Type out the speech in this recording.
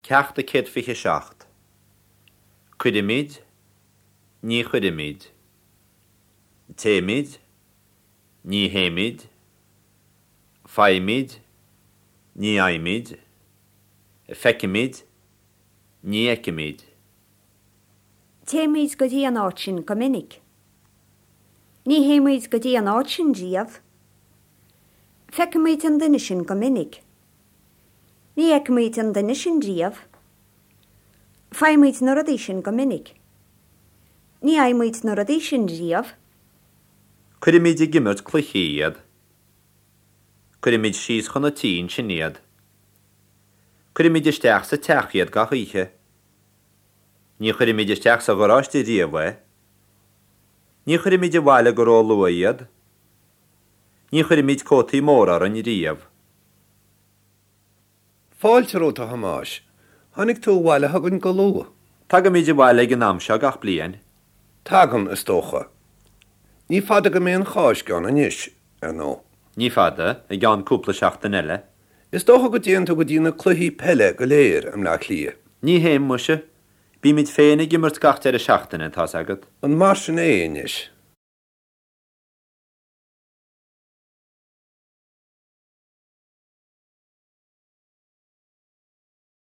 Ceacht 127. Cuirimid, ní chuirimid. Téimid, ní théimid. Faighimid, ní fhaighimid. Feicimid, ní fheicimid. Téimid go dtí an áit sin go minic. Ní théimid go dtí an áit sin riamh. Feicimid an duine sin go minic. Ní fheicimid an duine sin riamh. Faighimid na rudaí sin go minic. Ní fhaighimid na rudaí sin riamh. Cuirimid ag imirt cluichí iad. Cuirimid síos chun an tí ansin iad. Cuirimid isteach sa teach iad gach oíche. Ní chuirimid isteach sa gharáiste riamh é. Ní chuirimid abhaile go róluath iad. Ní chuirimid cótaí móra orainn riamh. Fáilte romhat, a Thomáis. Tháinig tú abhaile chugainn go luath. Tagaimid abhaile ag an am seo gach bliain. Tagann, is dócha. Ní fada go mbeidh an Cháisc ann anois, ar ndóigh. Ní fada, i gceann cúpla seachtain eile. Is dócha go dtéann tú go dtí na cluichí peile go léir i mBleá Cliath. Ní théim, muise. Bímid féin ag imirt gach deireadh seachtaine, tá's agat. An mar sin é anois?